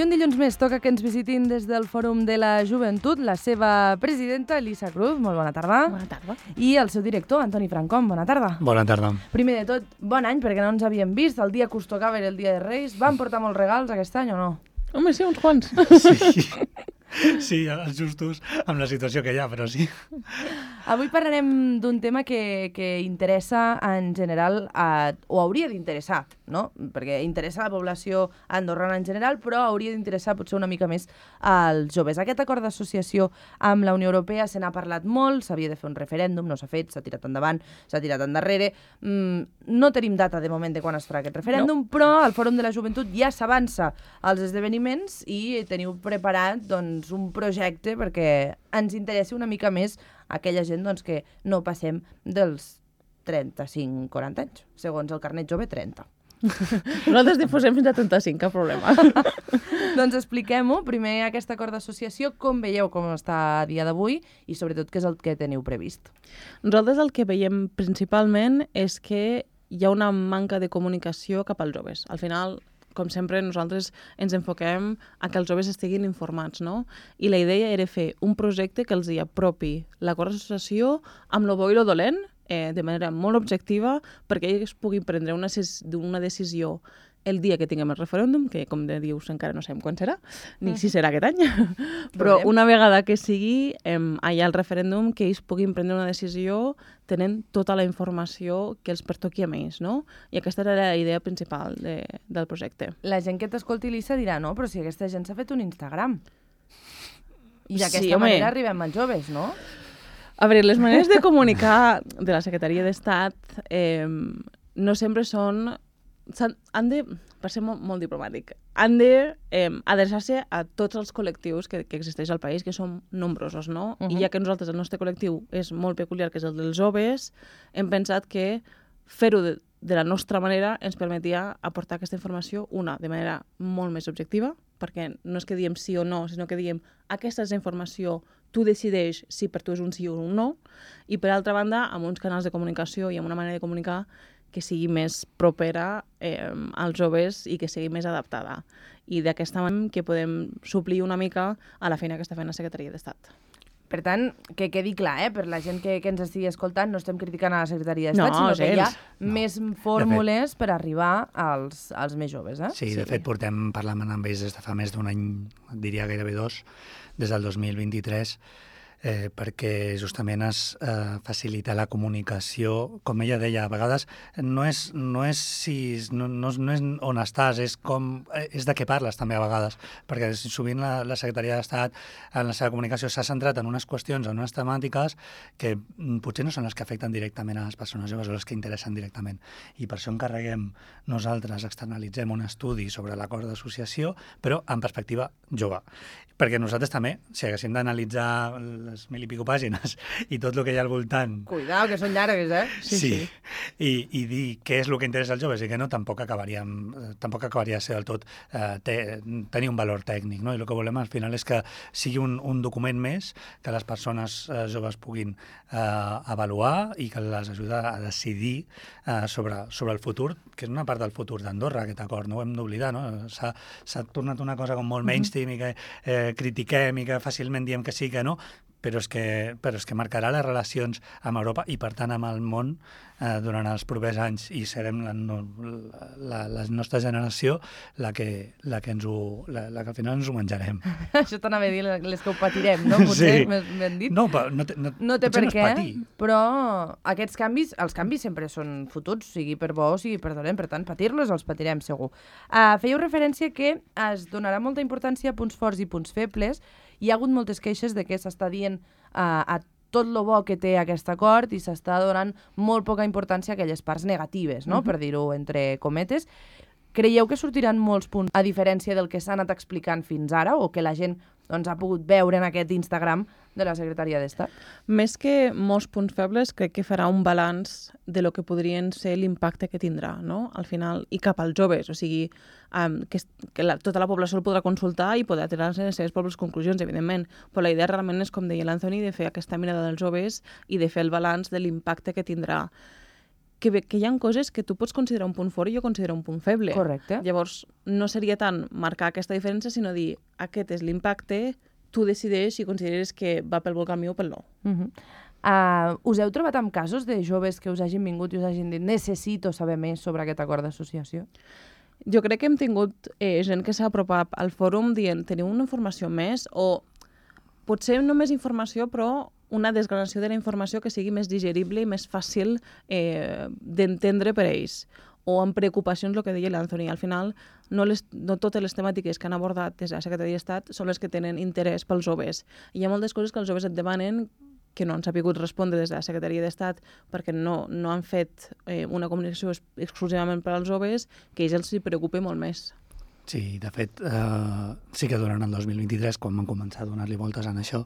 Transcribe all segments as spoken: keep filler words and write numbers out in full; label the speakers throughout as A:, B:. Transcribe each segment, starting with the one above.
A: I un dilluns més toca que ens visitin des del Fòrum de la Joventut la seva presidenta, Elisa Cruz. Molt bona tarda.
B: Bona tarda.
A: I el seu director, Antoni Francom. Bona tarda.
C: Bona tarda.
A: Primer de tot, bon any, perquè no ens havíem vist. El dia que us tocava era el dia de Reis. Van portar molts regals aquest any o no?
B: Home, sí, uns quants.
C: Sí, sí, els justos amb la situació que hi ha, però sí.
A: Avui parlarem d'un tema que, que interessa en general, a, o hauria d'interessar, no? Perquè interessa la població andorrana en general, però hauria d'interessar potser una mica més als joves. Aquest acord d'associació amb la Unió Europea se n'ha parlat molt, s'havia de fer un referèndum, no s'ha fet, s'ha tirat endavant, s'ha tirat endarrere. Mm, no tenim data de moment de quan es farà aquest referèndum, no. Però al Fòrum de la Joventut ja s'avança als esdeveniments i teniu preparat doncs, un projecte perquè ens interessi una mica més aquella gent doncs, que no passem dels trenta-cinc a quaranta anys, segons el carnet jove, trenta.
B: Nosaltres difusem fins a trenta-cinc, cap problema.
A: Doncs expliquem-ho. Primer, aquest acord d'associació, com veieu com està a dia d'avui i sobretot què és el que teniu previst?
B: Nosaltres el que veiem principalment és que hi ha una manca de comunicació cap als joves. Al final, com sempre, nosaltres ens enfoquem a que els joves estiguin informats, no? I la idea era fer un projecte que els hi apropi l'acord d'associació amb lo bo i lo dolent, eh, de manera molt objectiva, perquè ells puguin prendre una, una decisió el dia que tinguem el referèndum, que, com de dius, encara no sabem quan serà, ni si serà aquest any, però una vegada que sigui eh, allà el referèndum, que ells puguin prendre una decisió tenint tota la informació que els pertoqui a ells, no? I aquesta era la idea principal de, del projecte.
A: La gent que t'escolti, Elisa, dirà, no, però si aquesta gent s'ha fet un Instagram. I d'aquesta
B: sí,
A: manera arribem als joves, no?
B: A veure, les maneres de comunicar de la Secretaria d'Estat eh, no sempre són... han de, per ser molt, molt diplomàtic, han de eh, adreçar-se a tots els col·lectius que, que existeix al país, que són nombrosos, no? Uh-huh. I ja que nosaltres, el nostre col·lectiu és molt peculiar, que és el dels joves, hem pensat que fer-ho de, de la nostra manera ens permetia aportar aquesta informació, una, de manera molt més objectiva, perquè no és que diem sí o no, sinó que diem aquesta és la informació, tu decideix si per tu és un sí o un no, i per altra banda, amb uns canals de comunicació i amb una manera de comunicar que sigui més propera eh, als joves i que sigui més adaptada. I d'aquesta manera que podem suplir una mica a la feina que està fent la Secretaria d'Estat.
A: Per tant, que quedi clar, eh? Per la gent que, que ens estigui escoltant, no estem criticant a la Secretaria d'Estat,
B: no,
A: sinó que hi ha
C: no.
A: més fórmules per arribar als, als més joves. Eh?
C: Sí, de sí. fet, portem parlant amb ells des de fa més d'un any, diria gairebé dos, des del dos mil vint-i-tres, Eh, perquè justament es eh, facilita la comunicació. Com ella deia, a vegades no és, no és, si, no, no, no és on estàs, és, com, és de què parles també a vegades, perquè sovint la, la Secretaria d'Estat en la seva comunicació s'ha centrat en unes qüestions, en unes temàtiques que potser no són les que afecten directament a les persones joves o les que interessen directament. I per això encarreguem nosaltres, externalitzem un estudi sobre l'acord d'associació, però en perspectiva jove. Perquè nosaltres també, si haguéssim d'analitzar les mil i pico pàgines i tot el que hi ha al voltant...
A: Cuidao, que són llargues, eh?
C: Sí, sí. sí. I, i dir què és el que interessa als joves i que no, tampoc acabaríem, tampoc acabaria de ser del tot eh, te, tenir un valor tècnic, no? I el que volem al final és que sigui un, un document més que les persones eh, joves puguin eh, avaluar i que les ajuda a decidir eh, sobre, sobre el futur, que és una part del futur d'Andorra, aquest acord, no ho hem d'oblidar, no? S'ha, s'ha tornat una cosa com molt mainstream i que eh, critiquem i que fàcilment diem que sí, que no, però és que, però és que marcarà les relacions amb Europa i, per tant, amb el món eh, durant els propers anys, i serem la, la, la nostra generació la que, la, que ens ho, la, la que al final ens ho menjarem.
A: Això t'anava a dir, les que ho patirem, no? Potser
C: sí.
A: m'han dit.
C: No, no, no,
A: no té per
C: no
A: què,
C: patir.
A: Però aquests canvis, els canvis sempre són fotuts, sigui per bo o sigui per dolent, per tant, patir-los els patirem segur. Uh, fèieu referència que es donarà molta importància a punts forts i punts febles. Hi ha hagut moltes queixes de que s'està dient uh, a tot lo bo que té aquest acord i s'està donant molt poca importància a aquelles parts negatives, no? Uh-huh. Per dir-ho entre cometes. Creieu que sortiran molts punts, a diferència del que s'ha anat explicant fins ara, o que la gent doncs, ha pogut veure en aquest Instagram de la Secretaria d'Estat?
B: Més que molts punts febles, crec que farà un balanç de lo que podrien ser l'impacte que tindrà, no? Al final, i cap als joves, o sigui, um, que, que la, tota la població el podrà consultar i podrà tirar les seves pròpies conclusions, evidentment, però la idea realment és, com deia l'Anthony, de fer aquesta mirada dels joves i de fer el balanç de l'impacte que tindrà. que, que hi ha coses que tu pots considerar un punt fort i jo considero un punt feble.
A: Correcte.
B: Llavors, no seria tant marcar aquesta diferència, sinó dir, aquest és l'impacte, tu decideix si consideres que va pel bon camí o pel no.
A: Uh -huh. uh, us heu trobat amb casos de joves que us hagin vingut i us hagin dit necessito saber més sobre aquest acord d'associació?
B: Jo crec que hem tingut eh, gent que s'ha apropat al fòrum dient teniu una informació més o potser no més informació però una desgranació de la informació que sigui més digerible i més fàcil eh, d'entendre per a ells. O amb preocupacions, el que deia l'Anthony. Al final, no, les, no totes les temàtiques que han abordat des de la Secretaria d'Estat són les que tenen interès pels joves. I hi ha moltes coses que els joves et demanen que no han sabut respondre des de la Secretaria d'Estat perquè no, no han fet eh, una comunicació exclusivament per als joves, que a ells els preocupa molt més.
C: Sí, de fet, eh, sí que durant el dos mil vint-i-tres, quan vam començar a donar-li voltes en això,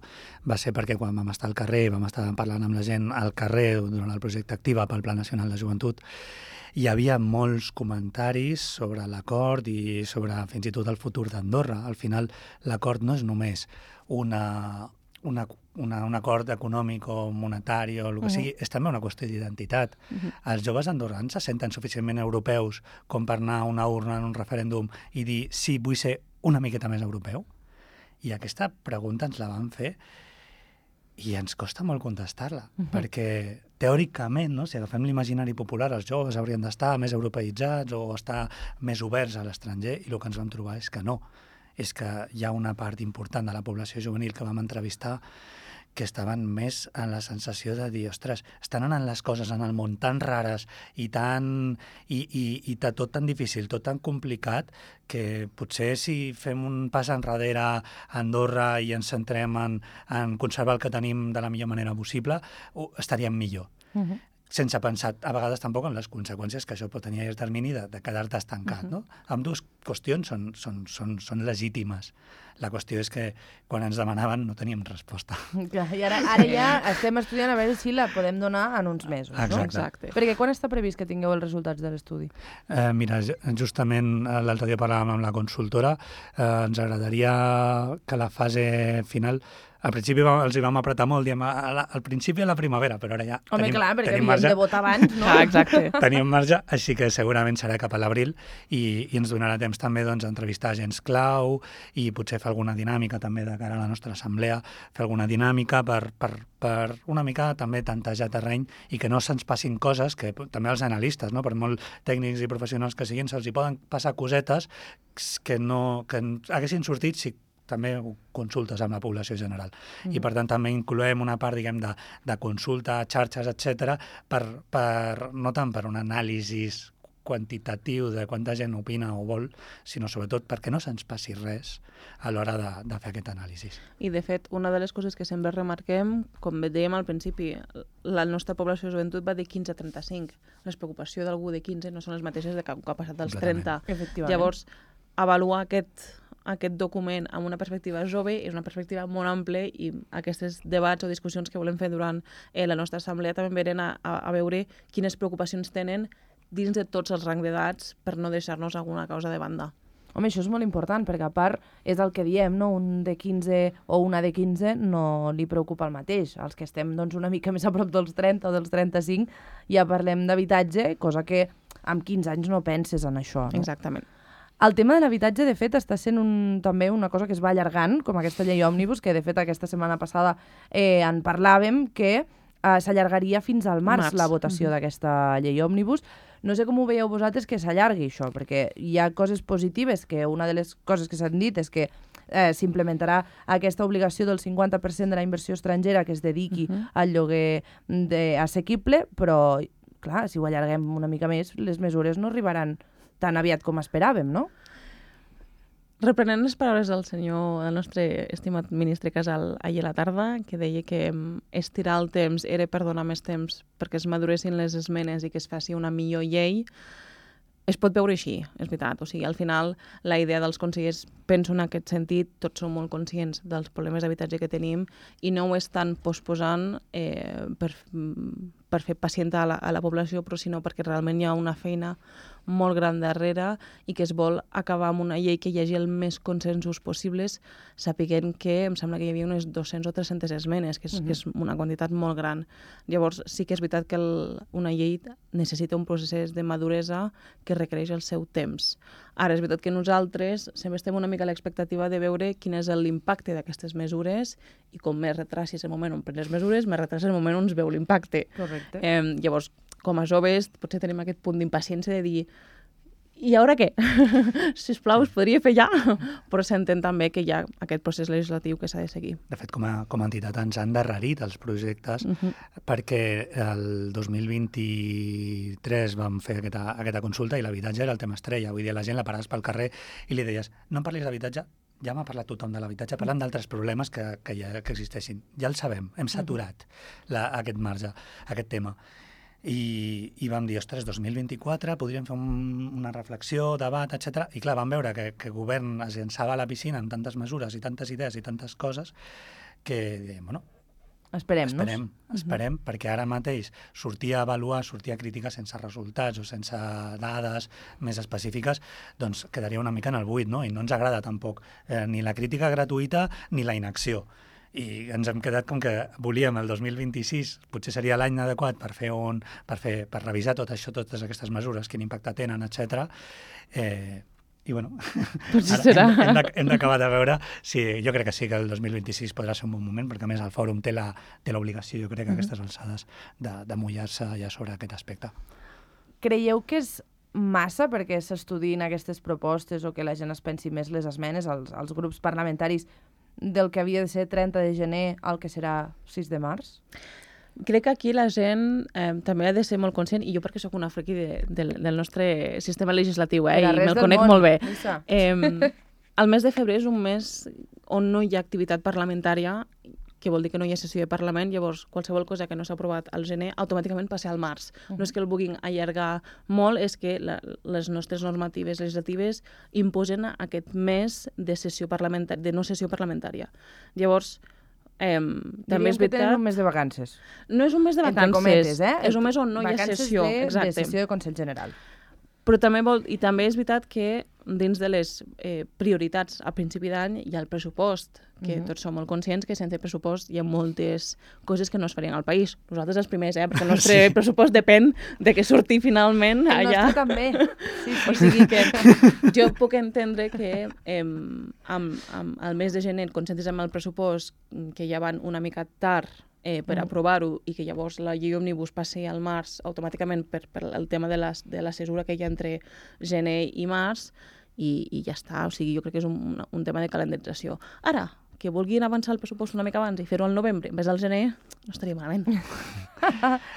C: va ser perquè quan vam estar al carrer, vam estar parlant amb la gent al carrer durant el projecte Activa pel Pla Nacional de Joventut, hi havia molts comentaris sobre l'acord i sobre fins i tot el futur d'Andorra. Al final, l'acord no és només una, una, una, un acord econòmic o monetari o el que uh -huh. sigui, és també una qüestió d'identitat. Uh -huh. Els joves andorrans se senten suficientment europeus com per anar a una urna en un referèndum i dir sí, vull ser una miqueta més europeu? I aquesta pregunta ens la van fer i ens costa molt contestar-la, uh -huh. perquè teòricament, no, si agafem l'imaginari popular, els joves haurien d'estar més europeïtzats o estar més oberts a l'estranger, i el que ens vam trobar és que no. És que hi ha una part important de la població juvenil que vam entrevistar que estaven més en la sensació de dir, ostres, estan anant les coses en el món tan rares i tan i, i, i tot tan difícil, tot tan complicat, que potser si fem un pas enrere a Andorra i ens centrem en, en conservar el que tenim de la millor manera possible, estaríem millor. Uh -huh. Sense pensar a vegades tampoc en les conseqüències que això pot tenir a llarg termini de, de quedar-te estancat. Uh -huh. No? Ambdues qüestions són, són, són, són legítimes. La qüestió és que quan ens demanaven no teníem resposta.
A: Clar, i ara, ara ja estem estudiant a veure si la podem donar en uns mesos.
C: Exacte.
A: No?
B: Exacte.
A: Perquè quan està previst que tingueu els resultats de l'estudi?
C: Eh, mira, justament l'altre dia parlàvem amb la consultora, eh, ens agradaria que la fase final... Al principi els hi vam apretar molt, diem, al principi a la primavera, però ara ja
A: Home,
C: tenim,
A: clar, perquè
C: tenim
A: havíem
C: marge.
A: de votar abans, no?
B: Ah, exacte.
C: Tenim marge, així que segurament serà cap a l'abril i, i ens donarà temps també doncs, a entrevistar agents clau i potser fer alguna dinàmica també de cara a la nostra assemblea, fer alguna dinàmica per, per, per una mica també tantejar terreny i que no se'ns passin coses que també els analistes, no? Per molt tècnics i professionals que siguin, se'ls hi poden passar cosetes que no que haguessin sortit si també consultes amb la població general. Mm. I, per tant, també incloem una part, diguem, de, de consulta, xarxes, etcètera, per, per, no tant per un anàlisi quantitatiu de quanta gent opina o vol, sinó sobretot perquè no se'ns passi res a l'hora de, de fer aquest anàlisi.
B: I, de fet, una de les coses que sempre remarquem, com dèiem al principi, la nostra població de joventut va de quinze a trenta-cinc. Les preocupacions d'algú de quinze no són les mateixes de que ha passat dels trenta. Llavors, avaluar aquest... aquest document amb una perspectiva jove és una perspectiva molt àmplia i aquests debats o discussions que volem fer durant eh, la nostra assemblea també venen a, a, a veure quines preocupacions tenen dins de tots els rangs d'edats per no deixar-nos alguna causa de banda.
A: Home, això és molt important, perquè a part és el que diem, no? Un de quinze o una de quinze no li preocupa el mateix. Els que estem doncs, una mica més a prop dels trenta o dels trenta-cinc ja parlem d'habitatge, cosa que amb quinze anys no penses en això. No?
B: Exactament.
A: El tema de l'habitatge, de fet, està sent un, també una cosa que es va allargant, com aquesta llei òmnibus, que de fet aquesta setmana passada eh, en parlàvem, que eh, s'allargaria fins al març, març. la votació mm-hmm. d'aquesta llei òmnibus. No sé com ho veieu vosaltres que s'allargui això, perquè hi ha coses positives, que una de les coses que s'han dit és que eh, s'implementarà aquesta obligació del cinquanta per cent de la inversió estrangera que es dediqui mm-hmm. al lloguer de, assequible, però, clar, si ho allarguem una mica més, les mesures no arribaran tan aviat com esperàvem, no?
B: Reprenent les paraules del senyor, del nostre estimat ministre Casal ahir a la tarda, que deia que estirar el temps era per donar més temps perquè es maduressin les esmenes i que es faci una millor llei, es pot veure així, és veritat. O sigui, al final, la idea dels consellers penso en aquest sentit, tots som molt conscients dels problemes d'habitatge que tenim i no ho estan posposant eh, per, per fer pacientar a la, a la població, però sinó perquè realment hi ha una feina molt gran darrere i que es vol acabar amb una llei que hi hagi el més consensos possibles, sapiguent que em sembla que hi havia unes dues-centes o tres-centes esmenes, que és, uh-huh. que és una quantitat molt gran. Llavors, sí que és veritat que el, una llei necessita un procés de maduresa que requereix el seu temps. Ara, és veritat que nosaltres sempre estem una mica a l'expectativa de veure quin és l'impacte d'aquestes mesures i com més retrasis el moment on pren les mesures, més retrasa el moment on es veu l'impacte.
A: Correcte.
B: Eh, llavors, com a joves, potser tenim aquest punt d'impaciència de dir i ara què? Sisplau, es podria fer ja? Però s'entén també que hi ha aquest procés legislatiu que s'ha de seguir.
C: De fet, com a, com a entitat ens han endarrerit els projectes uh-huh. perquè el dos mil vint-i-tres vam fer aquesta, aquesta consulta i l'habitatge era el tema estrella. Vull dir, la gent la paraves pel carrer i li deies no em parlis d'habitatge, ja m'ha parlat tothom de l'habitatge, parlant d'altres problemes que, que, ja, que existeixin. Ja el sabem, hem saturat la, aquest marge, aquest tema. I, i vam dir, ostres, dos mil vint-i-quatre podríem fer un, una reflexió, debat, etcètera. I clar, vam veure que, que el govern es llançava a la piscina amb tantes mesures i tantes idees i tantes coses que dèiem, bueno,
A: esperem-nos.
C: Esperem, esperem, uh-huh. perquè ara mateix sortir a avaluar, sortir a criticar sense resultats o sense dades més específiques, doncs quedaria una mica en el buit, no? I no ens agrada tampoc eh, ni la crítica gratuïta ni la inacció. I ens hem quedat com que volíem el dos mil vint-i-sis, potser seria l'any adequat per fer un, per fer, per revisar tot això, totes aquestes mesures, quin impacte tenen, etcètera. Eh, I bueno, ara hem, hem d'acabar de veure si jo crec que sí que el dos mil vint-i-sis podrà ser un bon moment, perquè a més el fòrum té la, té l'obligació, jo crec, a aquestes alçades, de, de mullar-se ja sobre aquest aspecte.
A: Creieu que és massa perquè s'estudiïn aquestes propostes o que la gent es pensi més les esmenes als, als grups parlamentaris del que havia de ser trenta de gener al que serà sis de març?
B: Crec que aquí la gent eh, també ha de ser molt conscient, i jo perquè sóc una friki de, de, del nostre sistema legislatiu, eh, i me'l conec
A: món,
B: molt bé.
A: Eh,
B: el mes de febrer és un mes on no hi ha activitat parlamentària, que vol dir que no hi ha sessió de Parlament, llavors qualsevol cosa que no s'ha aprovat al gener automàticament passa al març. Uh-huh. No és que el vulguin allargar molt, és que la, les nostres normatives legislatives imposen aquest mes de sessió parlamentària, de no sessió parlamentària. Llavors, eh, també és veritat...
A: que tenen un mes de vacances.
B: No és un mes de vacances,
A: entre cometes, eh?
B: És un mes on no hi ha sessió.
A: Vacances de, de sessió de Consell General.
B: Però també vol, i també és veritat que dins de les eh, prioritats a principi d'any hi ha el pressupost, que uh-huh. tots som molt conscients que sense pressupost hi ha moltes coses que no es farien al país. Nosaltres els primers, eh? Perquè el nostre sí. pressupost depèn de que surti finalment
A: el
B: allà.
A: El nostre també. Sí, sí.
B: O sigui que jo puc entendre que eh, amb, amb el mes de gener concentris amb el pressupost, que ja van una mica tard Eh, per mm. aprovar-ho i que llavors la llei òmnibus passi al març automàticament per, per el tema de la, de la cesura que hi ha entre gener i març i, i ja està. O sigui, jo crec que és un, un tema de calendarització. Ara, que vulguin avançar el pressupost una mica abans i fer-ho al novembre en vez del gener, no estaria malament.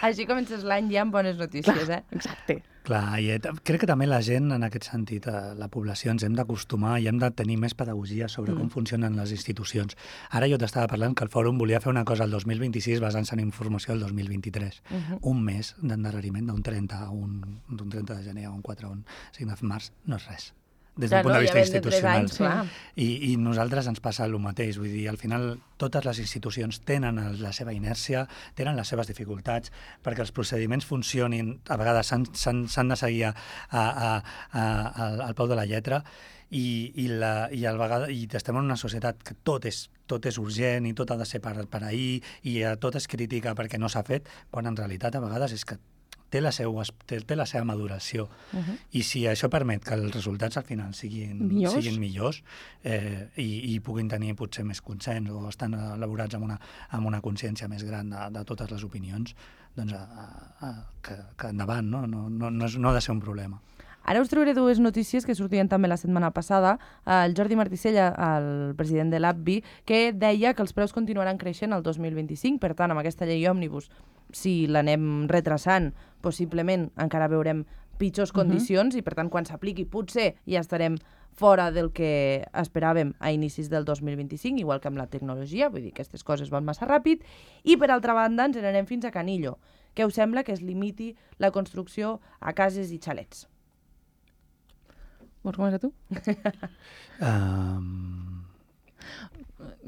A: Així comences l'any ja amb bones notícies,
B: Clar,
A: eh?
B: Exacte.
C: Clar, i crec que també la gent, en aquest sentit, la població, ens hem d'acostumar i hem de tenir més pedagogia sobre mm. com funcionen les institucions. Ara jo t'estava parlant que el Fòrum volia fer una cosa el dos mil vint-i-sis basant-se en informació del dos mil vint-i-tres. Uh-huh. Un mes d'endarreriment d'un trenta, un, d'un trenta de gener a un quatre, un cinc de març, no és res. Des del ja, punt no, de vista ja institucional.
A: Anys, clar.
C: I, I nosaltres ens passa el mateix. Vull dir, al final, totes les institucions tenen la seva inèrcia, tenen les seves dificultats, perquè els procediments funcionin, a vegades s'han de seguir a, a, a, a, al peu de la lletra, i, i, la, i, al vegada, i estem en una societat que tot és, tot és urgent i tot ha de ser per, per ahir, i tot és crítica perquè no s'ha fet, quan en realitat a vegades és que té la, seu, té, té la seva maduració. Uh-huh. I si això permet que els resultats al final siguin millors, siguin millors eh, i, i puguin tenir potser més consens o estan elaborats amb una, amb una consciència més gran de, de totes les opinions, doncs a, a, que, que endavant, no? No, no, no, és, no ha de ser un problema.
A: Ara us trobaré dues notícies que sortien també la setmana passada. El Jordi Marticella, el president de l'A P B I, que deia que els preus continuaran creixent el dos mil vint-i-cinc, per tant, amb aquesta llei òmnibus, si l'anem retrasant, possiblement encara veurem pitjors condicions uh-huh. i, per tant, quan s'apliqui, potser ja estarem fora del que esperàvem a inicis del dos mil vint-i-cinc, igual que amb la tecnologia, vull dir que aquestes coses van massa ràpid, i, per altra banda, ens n'anem fins a Canillo. Què us sembla que es limiti la construcció a cases i xalets?
B: Vols començar tu?
C: Um...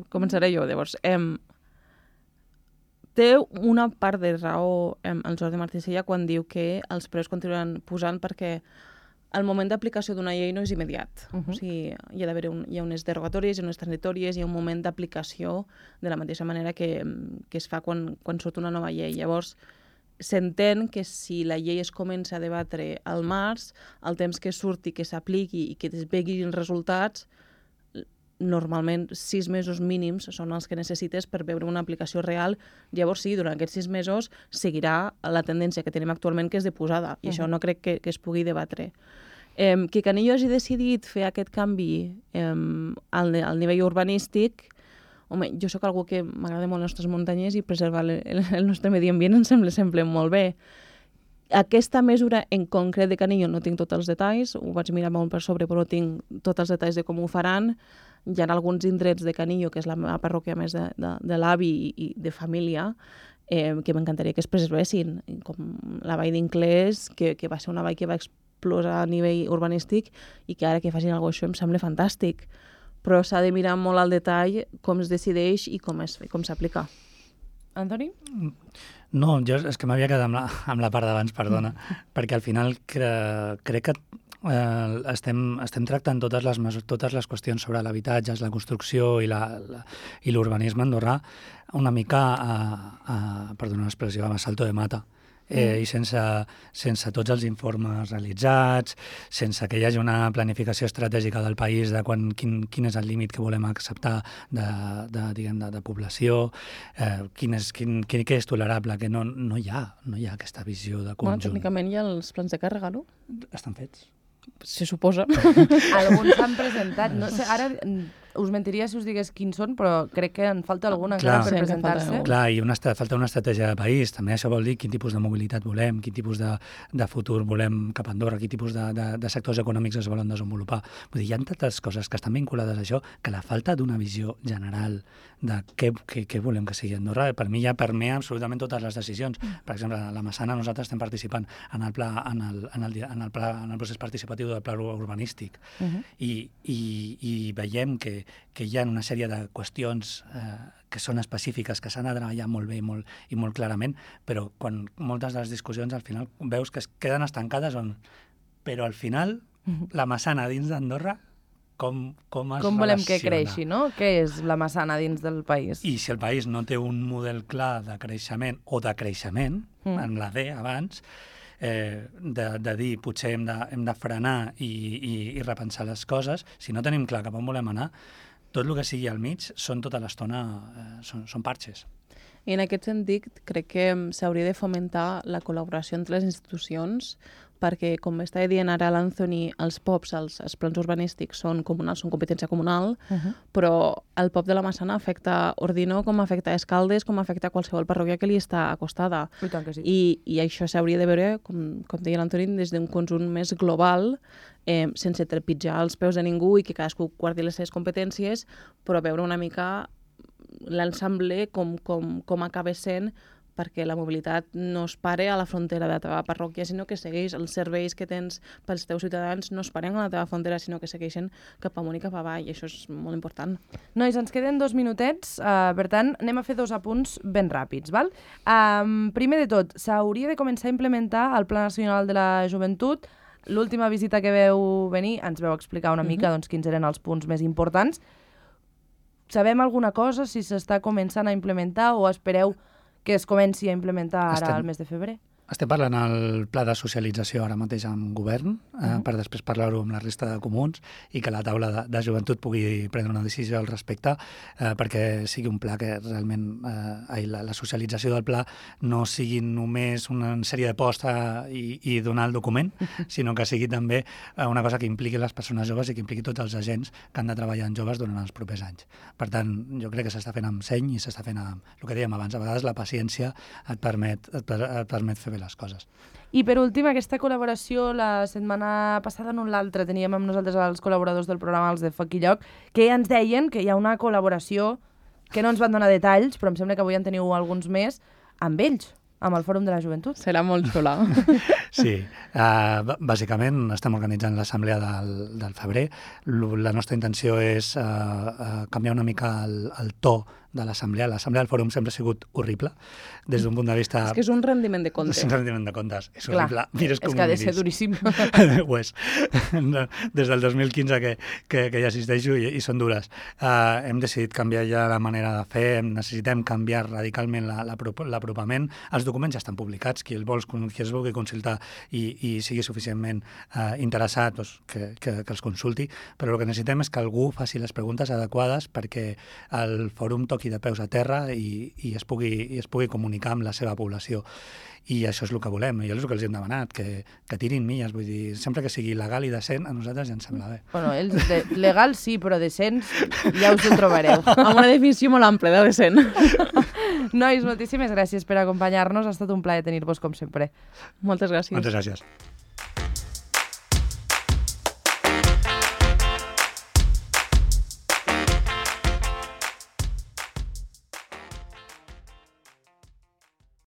B: Començaré jo, llavors. Em... Té una part de raó em, el Jordi Martí Sella quan diu que els preus continuen posant perquè el moment d'aplicació d'una llei no és immediat. Uh -huh. O sigui, hi ha d'haver un, hi ha unes derogatòries, hi ha unes transitòries, hi ha un moment d'aplicació de la mateixa manera que, que es fa quan, quan surt una nova llei. Llavors, s'entén que si la llei es comença a debatre al març, el temps que surti, que s'apliqui i que es veguin resultats, normalment sis mesos mínims són els que necessites per veure una aplicació real. Llavors sí, durant aquests sis mesos seguirà la tendència que tenim actualment, que és de posada, i uh -huh. això no crec que, que es pugui debatre. Eh, que Canillo hagi decidit fer aquest canvi eh, al, al nivell urbanístic, home, jo sóc algú que m'agrada molt les nostres muntanyes i preservar el, el nostre medi ambient em sembla sempre molt bé. Aquesta mesura en concret de Canillo no tinc tots els detalls, ho vaig mirar molt per sobre, però no tinc tots els detalls de com ho faran. Hi ha alguns indrets de Canillo, que és la meva parròquia més de, de, de l'avi i de família, eh, que m'encantaria que es preservessin, com la vall d'Inclés, que, que va ser una vall que va explotar a nivell urbanístic i que ara que facin alguna cosa això em sembla fantàstic. Però s'ha de mirar molt al detall com es decideix i com es, com s'aplica.
A: Antoni?
C: No, jo és que m'havia quedat amb la, amb la part d'abans, perdona, perquè al final cre, crec que eh, estem, estem tractant totes les, totes les qüestions sobre l'habitatge, la construcció i la, la, i l'urbanisme andorrà una mica a, a perdona l'expressió, a salto de mata. Eh, i sense, sense tots els informes realitzats, sense que hi hagi una planificació estratègica del país de quan, quin, quin és el límit que volem acceptar de, de, diguem, de, de població, eh, quin és, quin, quin, què és tolerable, que no, no, hi ha, no hi ha aquesta visió de conjunt.
B: Bueno, tècnicament hi ha els plans de càrrega, no?
C: Estan fets.
B: Se suposa.
A: Alguns s'han presentat. No sé, ara us mentiria si us digués quins són, però crec que en falta alguna encara per presentar-se.
C: Clar, i una, falta una estratègia de país. També això vol dir quin tipus de mobilitat volem, quin tipus de, de futur volem cap a Andorra, quin tipus de, de, de sectors econòmics es volen desenvolupar. Vull dir, hi ha tantes coses que estan vinculades a això que la falta d'una visió general de què, què, què volem que sigui Andorra, per mi ja permea absolutament totes les decisions. Per exemple, a la Massana nosaltres estem participant en el, pla, en el, en el, en el, pla, en el procés participatiu del pla urbanístic uh -huh. I, i, i veiem que, que hi ha una sèrie de qüestions eh, que són específiques, que s'han de treballar molt bé i molt, i molt clarament, però quan moltes de les discussions al final veus que es queden estancades on... Però al final, uh -huh. la Massana dins d'Andorra Com, com es
A: com volem
C: relaciona.
A: que creixi, no? Què és la Massana dins del país?
C: I si el país no té un model clar de creixement o de creixement, mm. en la D abans, eh, de, de dir potser hem de, hem de frenar i, i, i repensar les coses, si no tenim clar cap on volem anar, tot el que sigui al mig són tota l'estona, eh, són, són parxes.
B: I en aquest sentit, crec que s'hauria de fomentar la col·laboració entre les institucions, perquè, com estava dient ara l'Anthony, els P O Ps, els, els plans urbanístics, són comunals, són competència comunal, uh -huh. però el P O P de la Massana afecta Ordino, com afecta Escaldes, com afecta qualsevol parròquia que li està acostada.
A: I tant que sí.
B: I, i això s'hauria de veure, com, com deia l'Anthony, des d'un conjunt més global, eh, sense trepitjar els peus de ningú i que cadascú guardi les seves competències, però veure una mica l'ensemble com, com, com acaba sent, perquè la mobilitat no es pare a la frontera de la teva parròquia, sinó que segueix els serveis que tens pels teus ciutadans, no es paren a la teva frontera, sinó que segueixen cap amunt i cap avall, i això és molt important.
A: Nois, ens queden dos minutets, uh, per tant, anem a fer dos apunts ben ràpids, val? Um, primer de tot, s'hauria de començar a implementar el Pla Nacional de la Joventut. L'última visita que veu venir ens veu explicar una mica uh-huh. doncs, quins eren els punts més importants. Sabem alguna cosa, si s'està començant a implementar o espereu que es comenci a implementar ara estem, al mes de febrer?
C: Estem parlant el pla de socialització ara mateix amb govern, uh -huh. eh, per després parlar-ho amb la resta de comuns i que la taula de, de joventut pugui prendre una decisió al respecte, eh, perquè sigui un pla que realment eh, la, la socialització del pla no sigui només una sèrie de posts eh, i, i donar el document, sinó que sigui també eh, una cosa que impliqui les persones joves i que impliqui tots els agents que han de treballar en joves durant els propers anys. Per tant, jo crec que s'està fent amb seny i s'està fent amb el que dèiem abans. A vegades la paciència et permet, et, per, et permet fer bé les coses.
A: I per últim, aquesta col·laboració, la setmana passada en l'altra teníem amb nosaltres els col·laboradors del programa, els de Foc i Lloc, que ens deien que hi ha una col·laboració que no ens van donar detalls, però em sembla que avui en teniu alguns més, amb ells. amb el Fòrum de la Joventut?
B: Serà molt xula.
C: Sí, uh, bàsicament estem organitzant l'assemblea del, del febrer. La nostra intenció és uh, uh, canviar una mica el, el to de l'assemblea. L'assemblea del fòrum sempre ha sigut horrible, des d'un punt de vista...
B: És que és un rendiment de comptes.
C: És un rendiment de comptes. És
A: Clar,
C: horrible. Mires
A: és
C: com
A: que ha de
C: miris.
A: ser duríssim.
C: Ho és. Des del dos mil quinze que, que, que hi assisteixo i, i són dures. Uh, hem decidit canviar ja la manera de fer, necessitem canviar radicalment l'apropament. Els documents ja estan publicats, qui els, vol, qui els vulgui consultar i, i sigui suficientment uh, interessat, doncs, que, que, que els consulti, però el que necessitem és que algú faci les preguntes adequades perquè el fòrum toqui de peus a terra i, i, es pugui, i es pugui comunicar amb la seva població. I això és el que volem, i és el que els hem demanat, que, que tirin milles, vull dir, sempre que sigui legal i decent, a nosaltres ja ens sembla bé.
A: Bueno, ells de, legal sí, però decents ja us ho trobareu.
B: Amb una definició molt àmplia de decent.
A: Nois, moltíssimes gràcies per acompanyar-nos, ha estat un plaer tenir-vos com sempre.
B: Moltes gràcies.
C: Moltes gràcies.